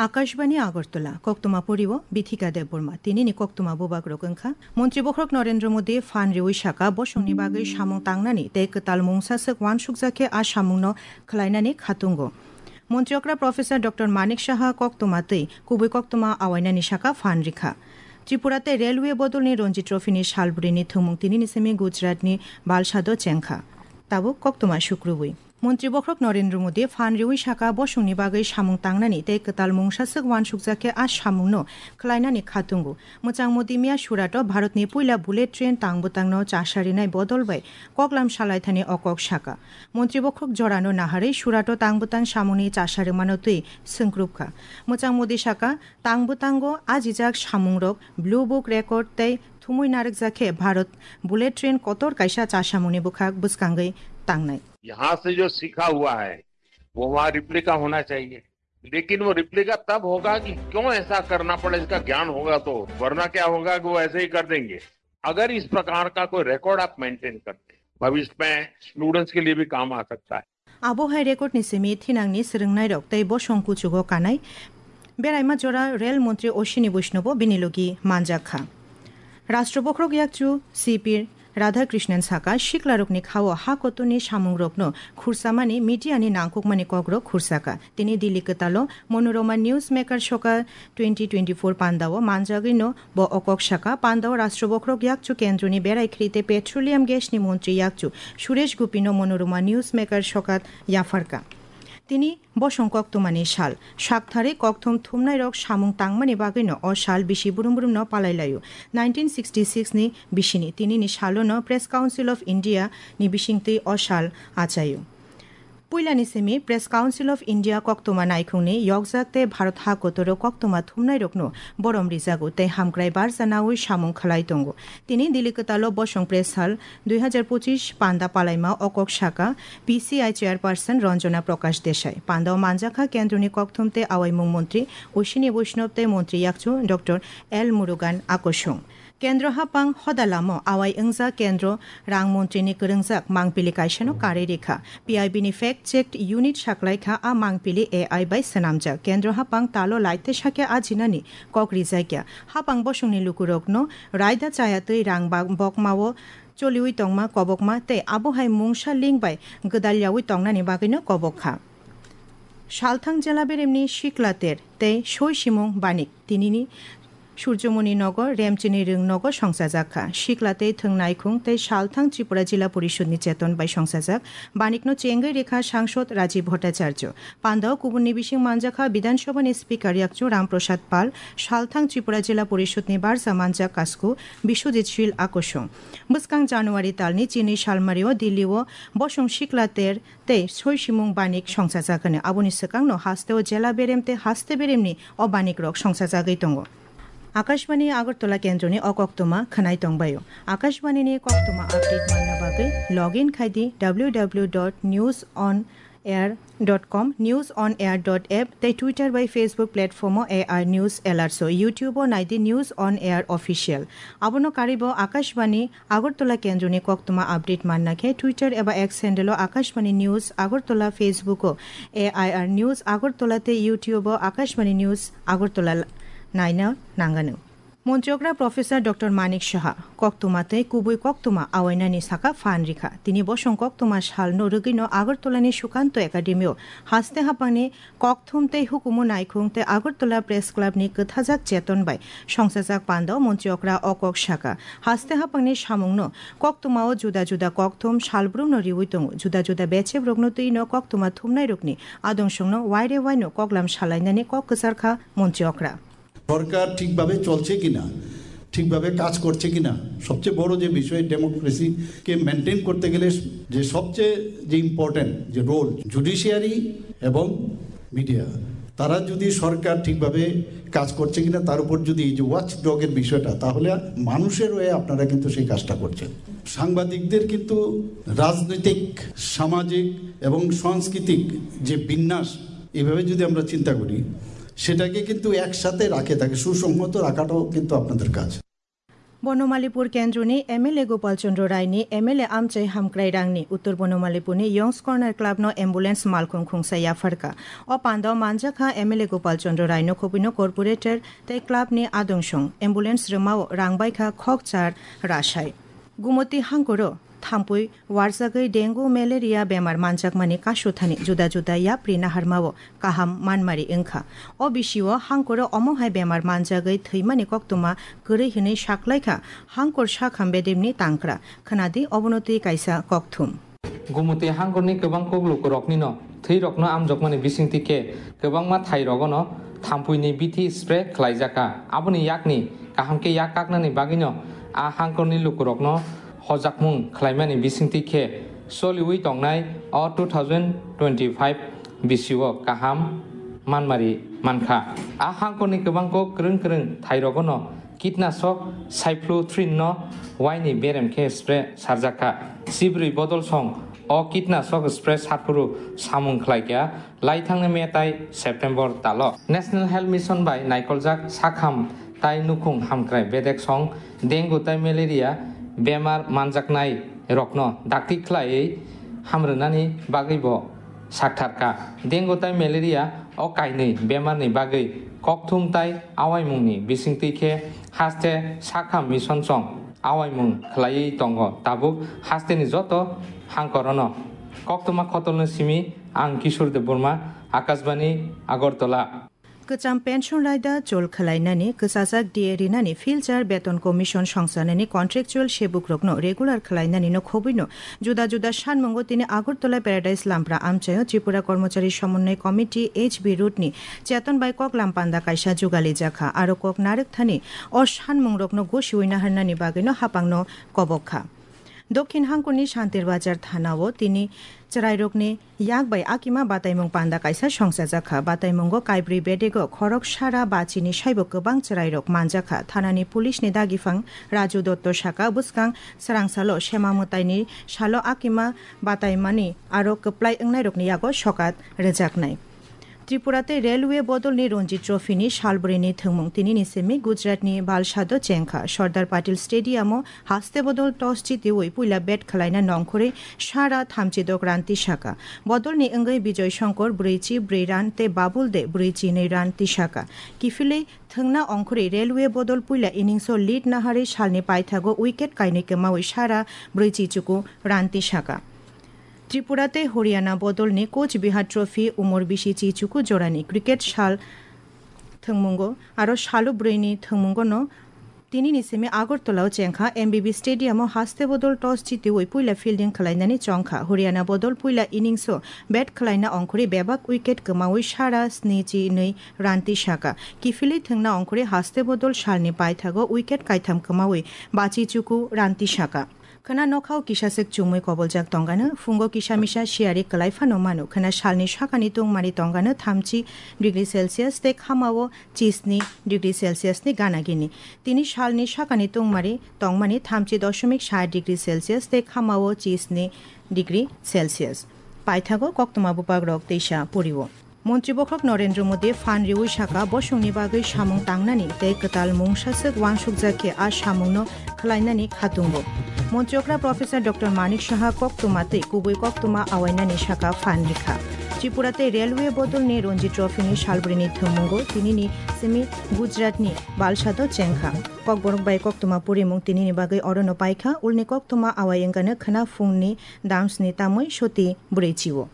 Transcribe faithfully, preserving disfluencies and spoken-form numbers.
Akashbani Agartala, koktwma poriwo Bithika Debbarma. Tinini koktwma bubagrok wngkha, Montri Bokhorok Narendra Modi phan riwi saka, bosongni bagwi samung tangnani tei kwtal mungsa swk uansukjak khe a samungno khwlainani khatungo. Montri okra Professor Doctor Manik Saha koktwma twi kubui koktwma awainani saka phan rikha. Tripura tei Railway bodolni Ranji Trophy ni salbrini thwngmung tinini simi Gujarat ni Valsad o chengkha. Tabuk koktwma sukrubwi. Montri Bokhorok Narendra Modi phan riwi saka, bosongni bagwi samung tangnani tei kwtal mungsa swk uansukjak khe a samungno khwlainani khatungo. Mwchang Modi miya Surato Bharatni puila bullet train tangbwtangno chasarinai bodol bai koklam salaithani o kok saka. Montri Bokhorok jorano naharwi Surato tangbwtang samungni chasarimano twi swngkrupkha. Mwchang Modi saka, tangbwtango ajijak samungrok Blue Book record tei thumwi narwkjak khe Bharat bullet train kotor kaisa chasamungni bwkhak bwskangwi tangnai. यहाँ से जो सीखा हुआ है, वो वहाँ रिप्लिका होना चाहिए। लेकिन वो रिप्लिका तब होगा कि क्यों ऐसा करना पड़ा, इसका ज्ञान होगा तो, वरना क्या होगा कि वो ऐसे ही कर देंगे। अगर इस प्रकार का कोई रिकॉर्ड आप मेंटेन करते, भविष्य में स्टूडेंट्स के लिए भी काम आ सकता है। Abo hai record ni simi thinangni swrwngnairok tei bosong kuchugo kanai beraima jora rel montri Oshini Boishnobo bini logi manjak kha. Rashtra Bokhorok yakchu C P Radhakrishnan saka, siklarokni khao ha kotorni samungrokno khursamani media ni nangkukmani kokrok khursaka. Tini Delhi kwtalo Monorama Newsmaker Soka twenty twenty-four pandao manjagwino bo o kok saka. Pandao Rashtra Bokhorok yakchu kendroni berai khri tei petroleum gas ni montri yakchu Suresh Gopino Monorama Newsmaker Soka yapharka. Tini bosong koktwmani sal. Saktharwi kokthum thumnairok samung tangmani bagwino o sal bisi brum brumno palai laio. Nineteen sixty-six ni bisini tinini salono Press Council of India ni bisingtwi o sal achaio. Puilani simi Press Council of India koktwma naikhungni yokjak tei Bharat ha kotoro koktwma thumnairokno borom rijago tei hamkrai barja naui samung khlai tongo. Tini Delhi kwtalo bosong press hall dui hazar pochish panda palaima o kok saka P C I chairperson Ranjana Prakash Desai. Pandao manjakha kendroni kokthum tei awaimung montri Oshini Boishnob tei montri yakchu Doctor L Murugan Akosung. Kendro hapang hoda lamo awai wngjak kendro rang montrini kwrwngjak mangpili kaisano karwi rikha. P I B ni fact checked unit saklaikha a mangpili A I bai swnamjak. Kendro hapang talo laite sakya ajinani kok rijakya. Hapang bosongni lukurokno raida chaya twi rang ba-, bokmao choliwi tongma kobokma tei abohai mungsa link bai gwdalyawi tongnani bagwino kobok kha. Salthang jela beremni Sikla Ter tei Soi Simung Banik tinini Surjomoni nogo Remchini Rwng nogo songchajak kha. Sikla tei thwng naikhung tei Salthang Tripura Jila Porishod ni cheton bai songchajak Banikno chengwi rikha Sangsod Rajiv Bhattacharya. Pandao kubunni bising manjakha Bidhan Sabha ni Speaker yakchu Ram Prasad Pal, Salthang Tripura Jila Porishod ni barja manjak kasku Biswajit Sil Akosung. Bwskang January talni chini salmario Delhi o bosong Sikla Ter tei Soi Simung Banik songchajak hwnwi. Aboni swkangno hasteo jela berem tei haste beremni o banikrok songchajagwi tongo. Akashbani Agartala kendroni o koktwma khwnai tongbaio. Akashbani ni koktwma update manna bagwi log in khai di W W W dot news on air dot com, news on air dot app tei Twitter bai Facebook platform o A I News Alerts o, YouTube o nai di News on Air Official. Abono karwi bo Akashbani Agartala kendroni koktwma update manna khe Twitter eba X handle o Akashbani News Agartala, Facebook o A I R News Agartala tei YouTube o Akashbani News Agartala naina nangano. Montri okra Professor Doctor Manik Saha koktwma tei kubui koktwma awainani saka phan rikha. Tini bosong koktwma salno rwgwino Agartala ni Sukanto Academy o haste hapangni kokthum tei hukumu naikhung tei Agartala Press Club ni kwthajak cheton bai songchajak pandao montri okra o kok saka. Haste hapangni samungno koktwmao juda juda kokthum salbrumno riwi tongo. Juda juda bechebrokno twino koktwma thumnairokni adong songno waire waino koklam salainani kok kwcharkha montri okra. সরকার ঠিকভাবে চলছে কিনা, ঠিকভাবে কাজ করছে কিনা, সবচেয়ে বড় যে বিষয়, ডেমোক্রেসিকে মেনটেন করতে গেলে যে সবচেয়ে যে ইম্পর্টেন্ট যে রোল জুডিশিয়ারি এবং মিডিয়া, তারা যদি সরকার ঠিকভাবে কাজ করছে কিনা তার উপর যদি এই যে ওয়াচ ডগের বিষয়টা, তাহলে মানুষের হয়ে আপনারা কিন্তু সেই কাজটা করছেন। সাংবাদিকদের কিন্তু রাজনৈতিক, সামাজিক এবং সাংস্কৃতিক যে বিন্যাস, এভাবে যদি আমরা চিন্তা করি, সেটাকে কিন্তু একসাথে রাখে তাকে সুসংহত রাখাটাও কিন্তু আপনাদের কাজ। Bonomalipur kendroni M L A Gopal Chandra Rai ni M L A amchai hamkrai rangni Uttor Bonomalipur ni Youngs Corner Club no ambulance malkhung khungsa yapharkha. O pando manjakha M L A Gopal Chandra Rai no khobwi no corporator tei club ni adungsong ambulance rwmao rang baikha khok char rasai. Gumoti hangkoro thampui warjagwi dengue malaria bemar manjakmani kasuthani juda juda yapri naharmao kaham manmari wngkha. O bisio hangkoro omo hai bemar manjagwi thwimani koktwma kwrwi hwnwi saklaikha hangkor sakham bedemni tangkra. Khwnadi obono twi kaisa kokthum. Gumoti hangkorni kwbang kok lukuroknino thwirokno amjokmani bisingtwi khe kwbangma thairogono thampuini bithi spray khlaijakha. Aboni yakni kaham khe yak kaknani bagwino a hangkorni lukurokno hojakmung khlaimani bisingtwi khe soliwi tongnai o two thousand twenty-five bisio kaham manmari mankha. A hangkorni kwbang kok kwrwng kwrwng thairogono kitnasok cyplothrin no waini berem khe spray sarjakha. Sibrwi bodol song o kitnasok spray sarphuru samung khlaikha laithangni May tai September talo. National Health Mission bai naikoljak sakham tai nukhung hamkrai bedek song dengue tai malaria bemar manjaknai rokno dakti khlaiwi hamrwnani bagwi bo saktharkha. Dengue tai malaria o kainwi bemarni bagwi kokthum tai awaimungni bisingtwi khe haste sakham mission song awaimung khlaiwi tongo tabuk hasteni joto hangkorono. Koktwma khotolno simi ang Kishore Debbarma, Akashbani, Agartala. Kwcham pension raida chol khwlainani, kwchajak D A rinani, filchar beton commission songchanani contractual sebukrokno regular khwlainani no khobwino juda juda sanmungo tini Agartala Paradise Lampra amchaio Tripura Kormochari Somonnoy Committee H B Road ni cheton bai koklam panda kaisa jugali jakha. Aro kok narwk thani o sanmungrokno gosiwi naharnani bagwino hapangno kobok kha. Dokhin hangkuni Shantir Bazar thanao tini chwrairokni yak bai akima bataimung panda kaisa songchajakha. Bataimungo kaibrwi bedego khorok sara bachini saibo kwbang chwrairok manjakha. Thanani police ni dagifang Raju Dotto saka bwskang swrangsalo sema mwtaini salo akima bataimani aro kwplai wngnairokni yago sokat rwjaknai. Tripura tei Railway bodolni Ranji Trophy ni salbrwini thwngmung tinini simi Gujarat ni Valsad o chengkha. Sardar Patel Stadium o haste bodol toss jitiwi puila bat khwlaina nongkhorwi sara thamchi dok run tisaka. Bodolni wngwi Bijoy Shankar brwichi brwi run tei Babul De brwichi nwi run tisaka. Kiphilwi thwngna ongkhorwi Railway bodol puila innings o lead naharwi salni paithago wicket kainwi kwmawi sara brwichi chuku run tisaka. Tripura tei Haryana bodolni Coach Bihar Trophy umor bisi chi chuku jorani cricket sal thwngmungo aro salo brwini thwngmungono tinini simi Agartala o chengkha. M B B Stadium o haste bodol toss jitiwi puila fielding khwlainani chongkha. Haryana bodol puila innings o bat khwlaina ongkhorwi bebak wicket kwmawi sara sni chi nwi run tisaka. Kiphilwi thwngna ongkhorwi haste bodol salni paithago wicket kaitham kwmawi bachi chuku run tisaka. Khwna nokhao kisa swk chumui koboljak tongano, phungo kisa misa siyari kwlai phano mano. Khwna salni sakani tungmari tongano thamchi degree Celsius tei khamao chisni degree Celsius ni gana gini. Tini salni sakani tungmari tongmani thamchi doshomik sa degree Celsius tei khamao chisni degree Celsius. Paithago koktwma buphagrok teisa purio. Montri bokhok Narendra Modi phan riwi saka bosongni bagwi samung tangnani tei kwtal mungsaswk wansukjak khe a samungno khwlainani khatungo. Montri okra Professor Doctor Manik Saha koktwma tei kubui koktwma awainani saka phan rikha. Tripura tei Railway bodolni Ranji Trophy ni salbrini thwngmungo tinini simi Gujarat ni Valsad o chengkha. Kokborok bai koktwma purimung tinini bagwi orono paikha, ulni koktwma awai wngkano khwna phungni damsni tamwi soti brwi chio.